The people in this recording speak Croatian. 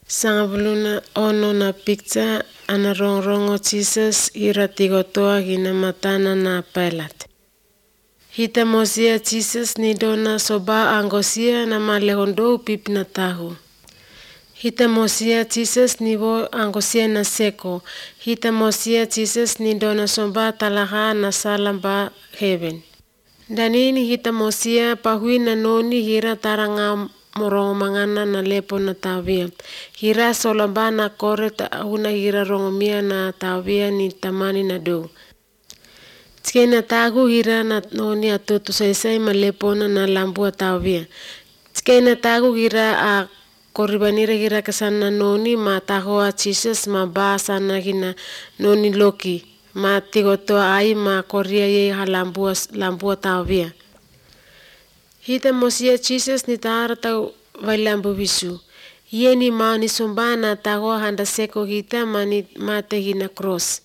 Sangavuluna ono na picture ana rongo Jesus ira tigotoa gina matana na Pilate. Hita mosia Jesus ni dona soba angosia na malehondo pipi na tahu. Hita mosia Jesus ni vo angosia na seko. Hita mosia Jesus ni dona soba talaha na salamba heaven. Danini hita mosia pahui na noni hira taranga morongo mangana na lepo na tawia. Hira solamba na kore una hira rongomia na tawia ni tamani na do. Tike na tagu hira na noni atoto saisai malepona na lambua tawia. Tike na tagu hira a koribanira hira kasana noni ma tahoa Jesus ma basa na hina noni loki. Ma tigoto ai ma koria ye lambua tawia. Hita mosia Jesus ni tahara tau vailambu visu. Ye ni mau ni sombana tagoa handa seko hita mate hina cross.